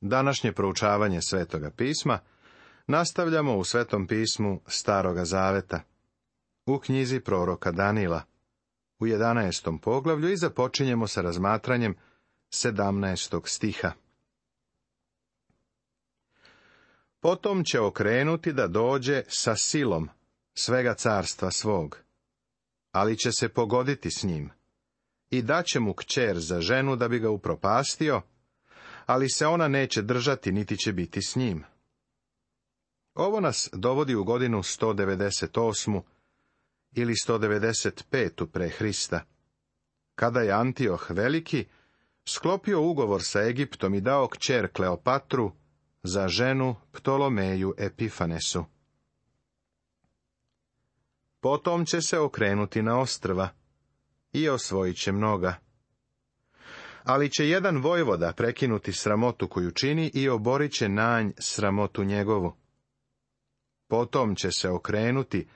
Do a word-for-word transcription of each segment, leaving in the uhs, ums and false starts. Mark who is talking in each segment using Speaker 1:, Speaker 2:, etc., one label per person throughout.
Speaker 1: Današnje proučavanje Svetoga pisma nastavljamo u Svetom pismu Staroga zaveta, u knjizi proroka Danila, u jedanaestom poglavlju i započinjemo sa razmatranjem sedamnaestog stiha. Potom će okrenuti da dođe sa silom svega carstva svog, ali će se pogoditi s njim, i daće mu kćer za ženu da bi ga upropastio, ali se ona neće držati, niti će biti s njim. Ovo nas dovodi u godinu sto devedeset osmu ili sto devedeset petu pre Hrista, kada je Antioh Veliki sklopio ugovor sa Egiptom i dao kćer Kleopatru za ženu Ptolomeju Epifanesu. Potom će se okrenuti na ostrva i osvojit će mnoga. Ali će jedan vojvoda prekinuti sramotu koju čini i oborit će nanj sramotu njegovu. Potom će se okrenuti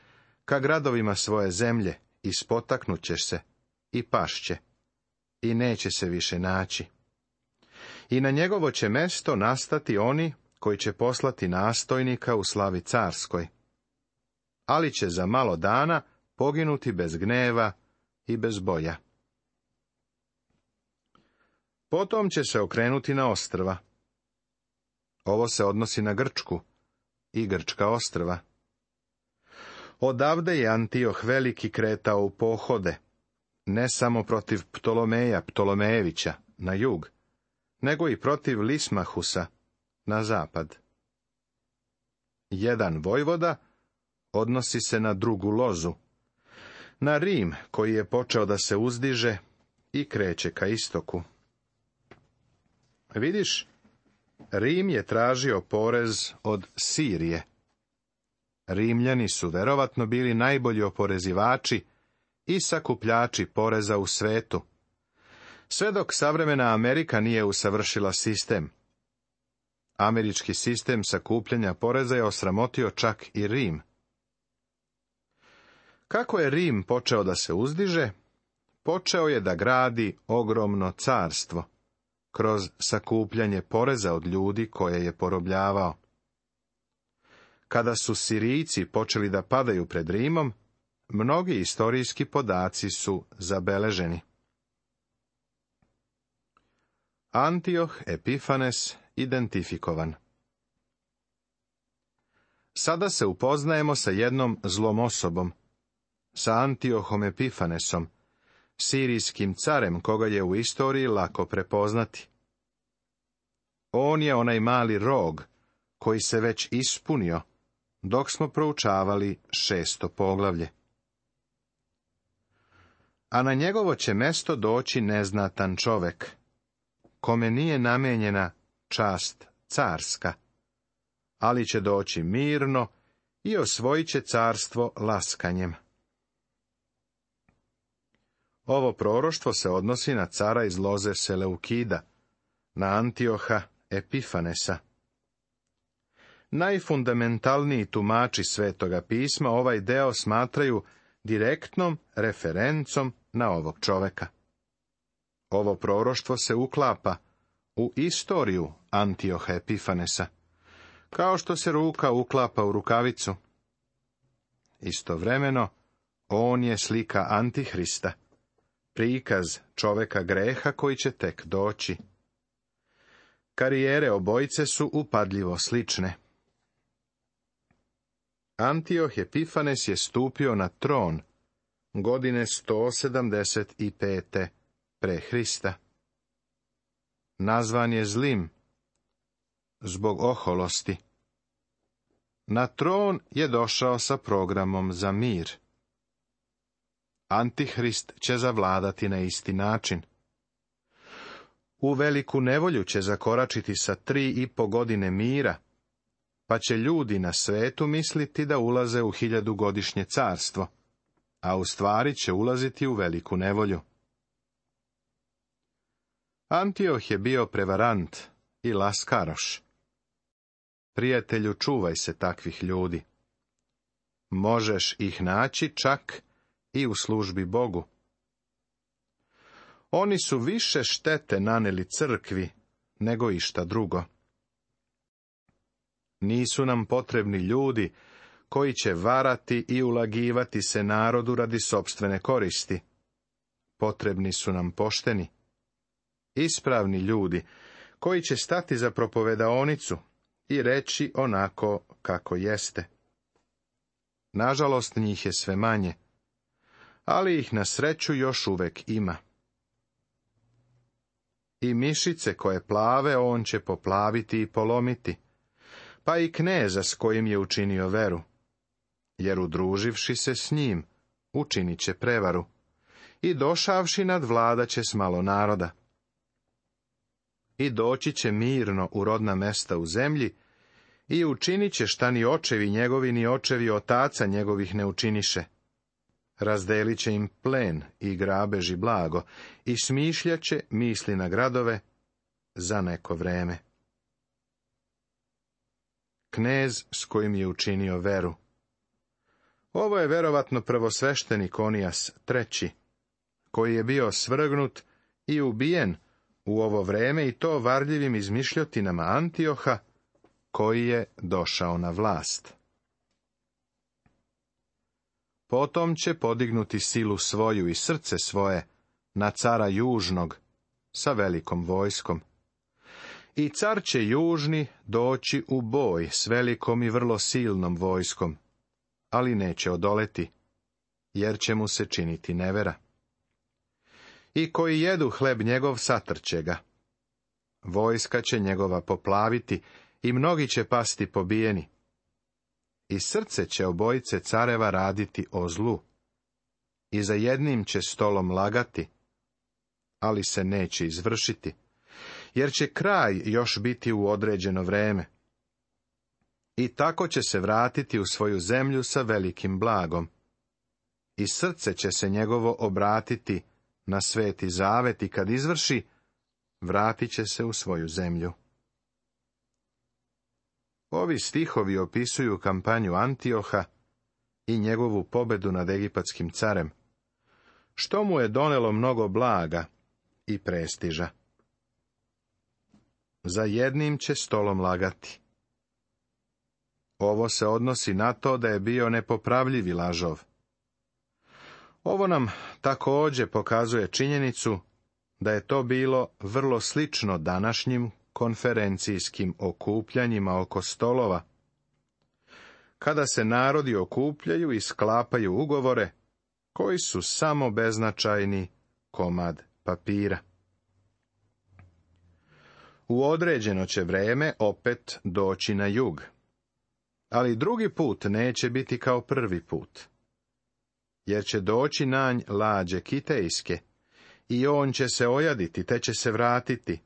Speaker 1: ka gradovima svoje zemlje i spotaknut će se i pašće i neće se više naći. I na njegovo će mesto nastati oni koji će poslati nastojnika u slavi carskoj, ali će za malo dana poginuti bez gneva i bez boja. Potom će se okrenuti na ostrva. Ovo se odnosi na Grčku i grčka ostrva. Odavde je Antioh Veliki kretao u pohode, ne samo protiv Ptolomeja Ptolomejevića na jug, nego i protiv Lismahusa na zapad. Jedan vojvoda odnosi se na drugu lozu, na Rim koji je počeo da se uzdiže i kreće ka istoku. Vidiš, Rim je tražio porez od Sirije. Rimljani su verovatno bili najbolji oporezivači i sakupljači poreza u svetu, sve dok savremena Amerika nije usavršila sistem. Američki sistem sakupljanja poreza je osramotio čak i Rim. Kako je Rim počeo da se uzdiže? Počeo je da gradi ogromno carstvo kroz sakupljanje poreza od ljudi koje je porobljavao. Kada su Sirijci počeli da padaju pred Rimom, mnogi istorijski podaci su zabeleženi. Antioh Epifanes identifikovan. Sada se upoznajemo sa jednom zlom osobom, sa Antiohom Epifanesom, sirijskim carem koga je u istoriji lako prepoznati. On je onaj mali rog koji se već ispunio dok smo proučavali šesto poglavlje. A na njegovo će mesto doći neznatan čovek, kome nije namenjena čast carska, ali će doći mirno i osvojit će carstvo laskanjem. Ovo proroštvo se odnosi na cara iz loze Seleukida, na Antioha Epifanesa. Najfundamentalniji tumači Svetoga pisma ovaj deo smatraju direktnom referencom na ovog čoveka. Ovo proroštvo se uklapa u istoriju Antioha Epifanesa, kao što se ruka uklapa u rukavicu. Istovremeno, on je slika Antihrista, prikaz čoveka greha koji će tek doći. Karijere obojice su upadljivo slične. Antioh Epifanes je stupio na tron godine sto sedamdeset pete pre Hrista. Nazvan je zlim zbog oholosti. Na tron je došao sa programom za mir. Antihrist će zavladati na isti način. U veliku nevolju će zakoračiti sa tri i po godine mira, pa će ljudi na svetu misliti da ulaze u hiljadugodišnje carstvo, a u stvari će ulaziti u veliku nevolju. Antioh je bio prevarant i laskaroš. Prijatelju, čuvaj se takvih ljudi. Možeš ih naći čak i u službi Bogu. Oni su više štete naneli crkvi nego išta drugo. Nisu nam potrebni ljudi koji će varati i ulagivati se narodu radi sopstvene koristi. Potrebni su nam pošteni, ispravni ljudi koji će stati za propovedaonicu i reći onako kako jeste. Nažalost, njih je sve manje, ali ih na sreću još uvek ima. I mišice koje plave on će poplaviti i polomiti, pa i kneza s kojim je učinio veru, jer udruživši se s njim, učinit će prevaru, i došavši nadvladat će s malo naroda. I doći će mirno u rodna mesta u zemlji, i učinit će šta ni očevi njegovi ni očevi otaca njegovih ne učiniše. Razdelit će im plen i grabež i blago, i smišljaće misli na gradove za neko vreme. Knez s kojim je učinio veru. Ovo je verovatno prvosveštenik Onijas treći, koji je bio svrgnut i ubijen u ovo vreme, i to varljivim izmišljotinama Antioha, koji je došao na vlast. Potom će podignuti silu svoju i srce svoje na cara južnog sa velikom vojskom. I car će južni doći u boj s velikom i vrlo silnom vojskom, ali neće odoleti, jer će mu se činiti nevera. I koji jedu hleb njegov satrće ga. Vojska će njegova poplaviti i mnogi će pasti pobijeni. I srce će obojice careva raditi o zlu. I za jednim će stolom lagati, ali se neće izvršiti, jer će kraj još biti u određeno vreme. I tako će se vratiti u svoju zemlju sa velikim blagom. I srce će se njegovo obratiti na sveti zavet, i kad izvrši, vratit će se u svoju zemlju. Ovi stihovi opisuju kampanju Antioha i njegovu pobedu nad egipatskim carem, što mu je donelo mnogo blaga i prestiža. Za jednim će stolom lagati. Ovo se odnosi na to da je bio nepopravljivi lažov. Ovo nam također pokazuje činjenicu da je to bilo vrlo slično današnjim konferencijskim okupljanjima oko stolova, kada se narodi okupljaju i sklapaju ugovore koji su samo beznačajni komad papira. U određeno će vreme opet doći na jug, ali drugi put neće biti kao prvi put, jer će doći nanj lađe kitejske, i on će se ojaditi, te će se vratiti,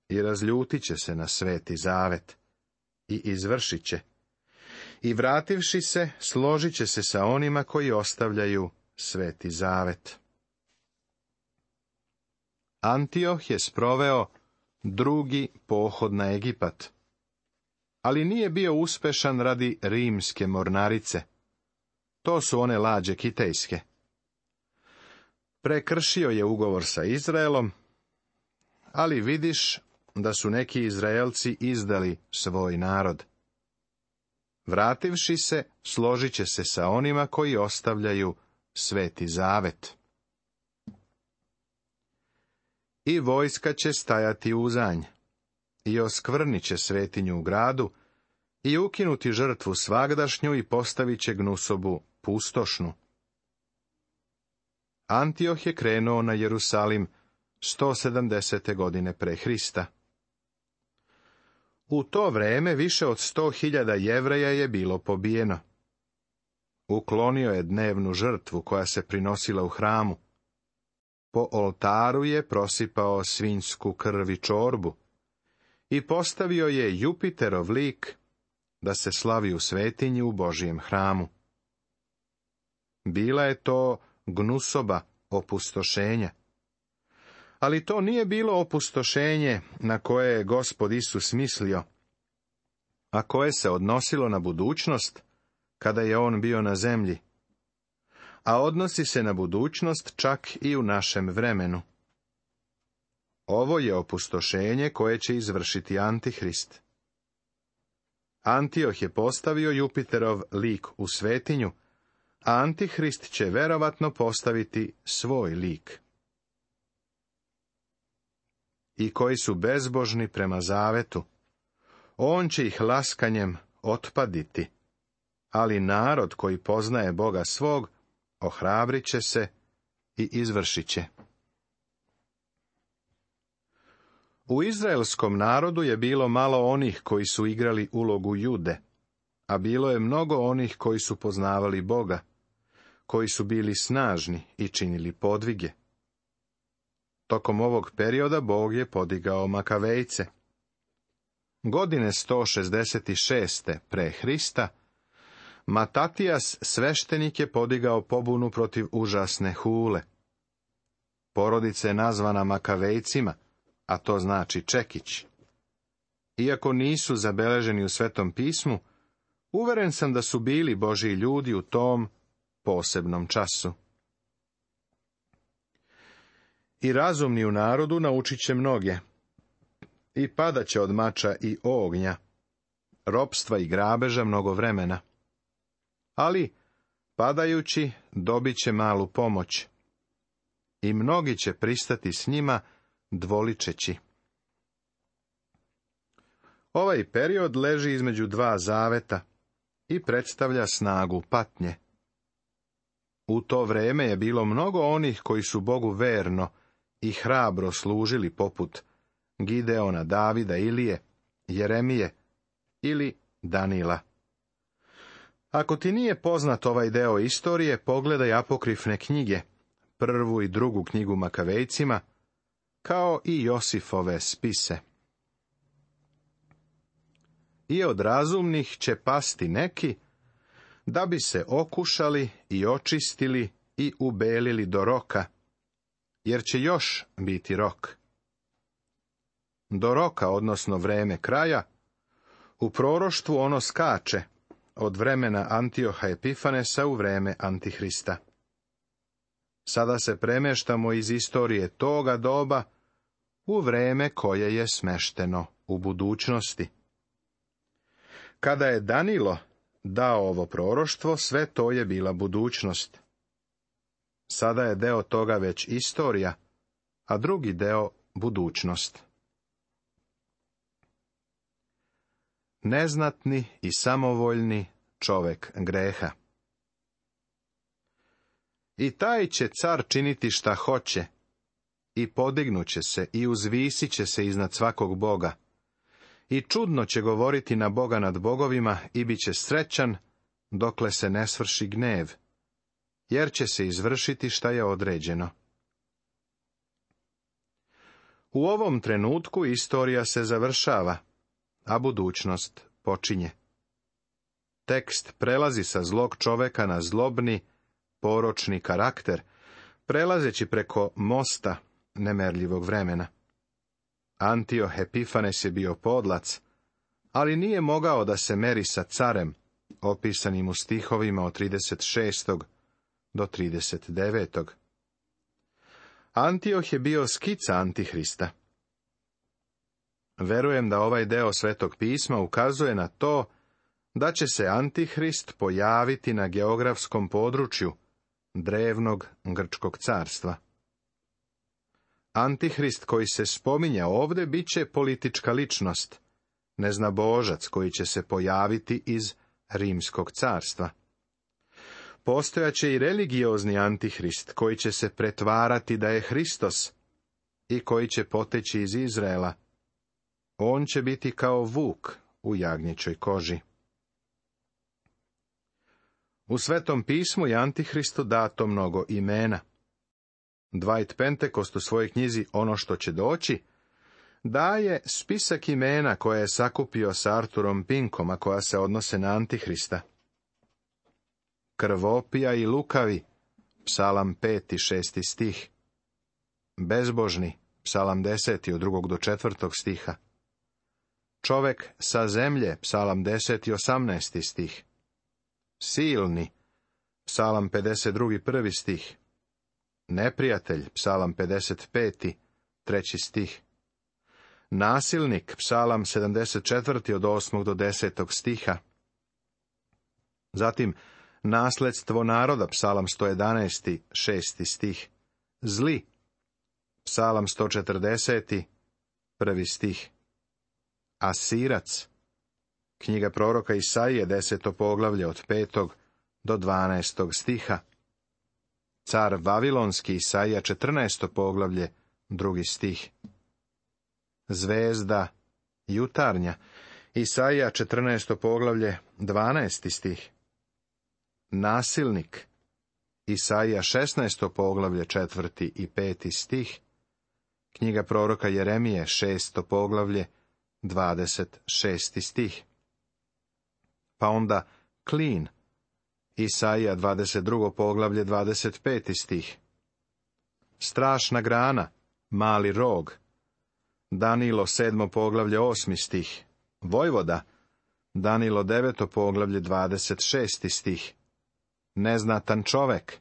Speaker 1: i razljutit će se na sveti zavet, i izvršit će, i vrativši se, složit će se sa onima koji ostavljaju sveti zavet. Antioh je sproveo drugi pohod na Egipat, ali nije bio uspešan radi rimske mornarice. To su one lađe kitejske. Prekršio je ugovor sa Izraelom, ali vidiš da su neki Izraelci izdali svoj narod. Vrativši se, složit će se sa onima koji ostavljaju sveti zavet. I vojska će stajati uzanj, i oskvrnit će svetinju u gradu, i ukinuti žrtvu svagdašnju, i postavit će gnusobu pustošnu. Antioh je krenuo na Jerusalim sto sedamdesete godine pre Hrista. U to vreme više od sto hiljada Jevreja je bilo pobijeno. Uklonio je dnevnu žrtvu koja se prinosila u hramu. Po oltaru je prosipao svinjsku krv i čorbu i postavio je Jupiterov lik da se slavi u svetinji u Božijem hramu. Bila je to gnusoba opustošenja. Ali to nije bilo opustošenje na koje je Gospod Isus mislio, a koje se odnosilo na budućnost kada je on bio na zemlji, a odnosi se na budućnost čak i u našem vremenu. Ovo je opustošenje koje će izvršiti Antihrist. Antioh je postavio Jupiterov lik u svetinju, a Antihrist će verovatno postaviti svoj lik. I koji su bezbožni prema zavetu, on će ih laskanjem otpaditi, ali narod koji poznaje Boga svog, ohrabrit će se i izvršit će. U izraelskom narodu je bilo malo onih koji su igrali ulogu Jude, a bilo je mnogo onih koji su poznavali Boga, koji su bili snažni i činili podvige. Tokom ovog perioda Bog je podigao Makavejce. Godine sto šezdeset šest. pre Hrista, Matatijas sveštenik je podigao pobunu protiv užasne Hule. Porodica je nazvana Makavejcima, a to znači čekić. Iako nisu zabeleženi u Svetom pismu, uveren sam da su bili Božji ljudi u tom posebnom času. I razumni u narodu naučit će mnoge, i padat će od mača i ognja, ropstva i grabeža mnogo vremena. Ali, padajući, dobit će malu pomoć, i mnogi će pristati s njima, dvoličeći. Ovaj period leži između dva zaveta i predstavlja snagu patnje. U to vreme je bilo mnogo onih koji su Bogu verno i hrabro služili, poput Gideona, Davida, Ilije, Jeremije ili Danila. Ako ti nije poznat ovaj deo istorije, pogledaj apokrifne knjige, prvu i drugu knjigu Makavejcima, kao i Josifove spise. I od razumnih će pasti neki, da bi se okušali i očistili i ubelili do roka, jer će još biti rok. Do roka, odnosno vreme kraja, u proroštvu ono skače od vremena Antioha Epifanesa u vreme Antihrista. Sada se premeštamo iz istorije toga doba u vreme koje je smešteno u budućnosti. Kada je Danilo dao ovo proroštvo, sve to je bila budućnost. Sada je deo toga već istorija, a drugi deo budućnost. Neznatni i samovoljni čovek greha. I taj će car činiti šta hoće, i podignuće se i uzvisit će se iznad svakog boga, i čudno će govoriti na Boga nad bogovima i bit će srećan, dokle se ne svrši gnev, jer će se izvršiti šta je određeno. U ovom trenutku istorija se završava, a budućnost počinje. Tekst prelazi sa zlog čoveka na zlobni, poročni karakter, prelazeći preko mosta nemerljivog vremena. Antioh Epifanes je bio podlac, ali nije mogao da se meri sa carem, opisanim u stihovima od trideset šestog do trideset devetog. Antioh je bio skica Antihrista. Verujem da ovaj deo Svetog pisma ukazuje na to da će se Antihrist pojaviti na geografskom području drevnog Grčkog carstva. Antihrist koji se spominja ovde bit će politička ličnost, neznabožac koji će se pojaviti iz Rimskog carstva. Postojaće i religiozni Antihrist koji će se pretvarati da je Hristos i koji će poteći iz Izraela. On će biti kao vuk u jagnjećoj koži. U Svetom pismu je Antihristu dato mnogo imena. Dwight Pentecost u svojoj knjizi Ono što će doći daje spisak imena koje je sakupio sa Arturom Pinkom, a koja se odnose na Antihrista. Krvopija i lukavi, Psalam peti, šesti stih. Bezbožni, Psalam deseti, od drugog do četvrtog stiha. Čovek sa zemlje, Psalam deseti, osamnaesti stih. Silni, Psalam pedeset drugi, prvi stih. Neprijatelj, Psalam pedeset peti, treći stih. Nasilnik, psalam sedamdeset četvrti od osmog do desetog stiha. Zatim, nasledstvo naroda, psalam sto jedanaesti, šesti stih. Zli, psalam sto četrdeseti, prvi stih. Asirac, knjiga proroka Isaije, deseto poglavlje od petog do dvanaestog stiha. Car Vavilonski, Isaija, četrnaesto poglavlje, drugi stih. Zvezda, jutarnja, Isaija, četrnaesto poglavlje, dvanaesti stih. Nasilnik, Isaija, šesnaesto poglavlje, četvrti i peti stih. Knjiga proroka Jeremije, šesto poglavlje, dvadeset šesti stih. Pa onda klin, Isaija, dvadeset drugo poglavlje, dvadeset peti stih. Strašna grana, mali rog, Danilo, sedmo poglavlje, osmi stih. Vojvoda, Danilo, deveto poglavlje, dvadeset šesti stih. Neznatan čovek,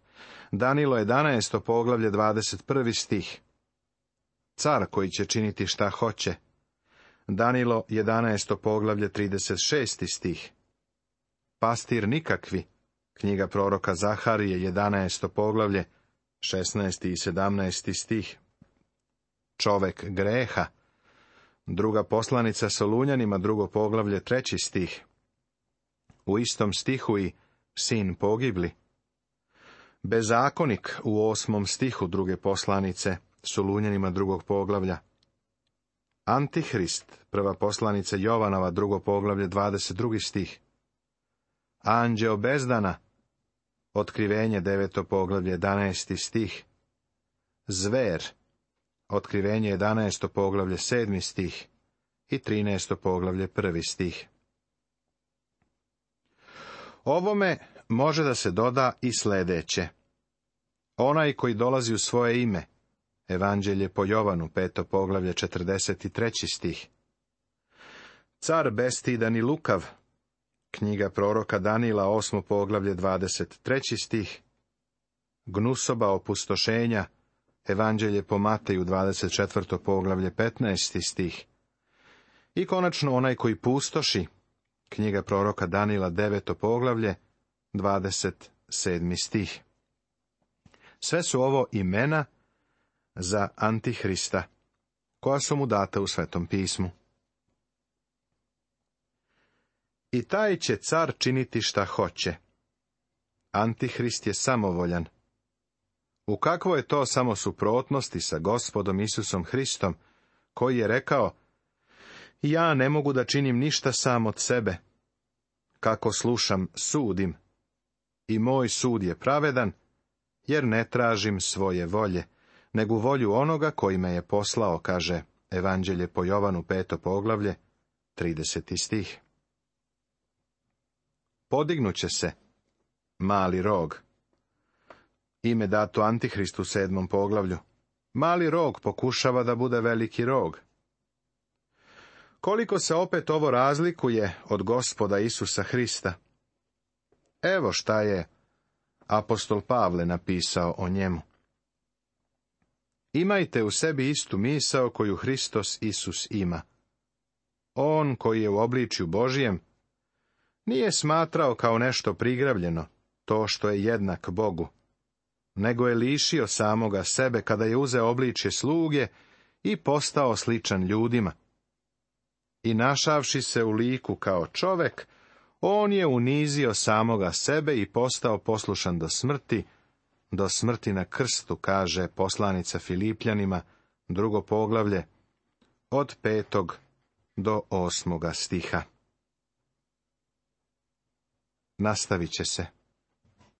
Speaker 1: Danilo, jedanaesto poglavlje, dvadeset prvi stih. Car koji će činiti šta hoće, Danilo, jedanaesto poglavlje, trideset šesti stih. Pastir nikakvi, knjiga proroka Zaharije, jedanaesto poglavlje, šesnaesti i sedamnaesti stih. Čovek greha, druga poslanica Solunjanima, drugo poglavlje, treći stih. U istom stihu i sin pogibli. Bezakonik u osmom stihu druge poslanice Solunjanima, drugog poglavlja. Antihrist, prva poslanica Jovanova, drugo poglavlje, dvadeset drugi stih. Anđeo bezdana, Otkrivenje, deveto poglavlje, jedanaesti stih. Zver, Otkrivenje, jedanaesto poglavlje, sedmi stih i trinaesto poglavlje, prvi stih. Ovome može da se doda i sledeće. Onaj koji dolazi u svoje ime, Evanđelje po Jovanu, peto poglavlje, četrdeset treći stih. Car bestidan i lukav, knjiga proroka Danila, osmo poglavlje, dvadeset treći stih. Gnusoba opustošenja, Evanđelje po Mateju, dvadeset četvrto poglavlje, petnaesti stih. I konačno onaj koji pustoši, knjiga proroka Danila, deveto poglavlje, dvadeset sedmi stih. Sve su ovo imena za Antihrista, koja su mu data u Svetom pismu. I taj će car činiti šta hoće. Antihrist je samovoljan. U kakvo je to samo suprotnosti sa Gospodom Isusom Hristom, koji je rekao: ja ne mogu da činim ništa sam od sebe. Kako slušam, sudim. I moj sud je pravedan, jer ne tražim svoje volje, nego volju onoga koji me je poslao, kaže Evanđelje po Jovanu, peto poglavlje, trideseti stih. Podignuće se mali rog. Ime dato Antihristu u sedmom poglavlju. Mali rog pokušava da bude veliki rog. Koliko se opet ovo razlikuje od Gospoda Isusa Hrista? Evo šta je apostol Pavle napisao o njemu. Imajte u sebi istu misao koju Hristos Isus ima. On koji je u obličju Božijem nije smatrao kao nešto prigravljeno to što je jednak Bogu, nego je lišio samoga sebe kada je uzeo obličje sluge i postao sličan ljudima. I našavši se u liku kao čovek, on je unizio samoga sebe i postao poslušan do smrti, do smrti na krstu, kaže poslanica Filipljanima, drugo poglavlje, od petog do osmoga stiha. Nastavit će se.